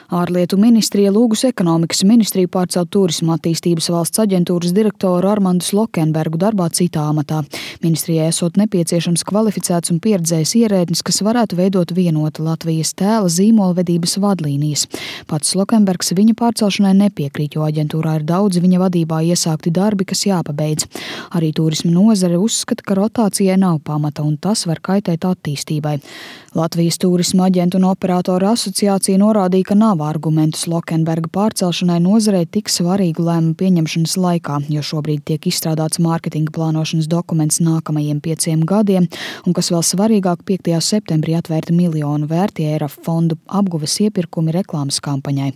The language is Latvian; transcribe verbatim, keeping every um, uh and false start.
Ārlietu ministrija lūgusi ekonomikas ministriju pārcelt Tūrisma attīstības valsts aģentūras direktoru Armandu Slokenbergu darbā citā amatā. Ministrijai esot nepieciešams kvalificēts un pieredzējis ierēdnis, kas varētu veidot vienotu Latvijas tēla zīmolvedības vadlīnijas. Pats Slokenbergs viņa pārcelšanai nepiekrīt, jo aģentūrā ir daudzi viņa vadībā iesākti darbi, kas jāpabeidz. Arī turisma nozare uzskata, ka rotācijai nav pamata un tas var kaitēt attīstībai. Latvijas Tūrisma aģentu un operātoru asociācija norādīja, ka nav argumentu Slokenberga pārcelšanai nozarei tik svarīgu lēmumu pieņemšanas laikā, jo šobrīd tiek izstrādāts mārketinga plānošanas dokuments nākamajiem pieciem gadiem, un kas vēl svarīgāk, piektajā septembrī atvērta miljonu vērtie E R A F fondu apguves iepirkumi reklāmas kampaņai.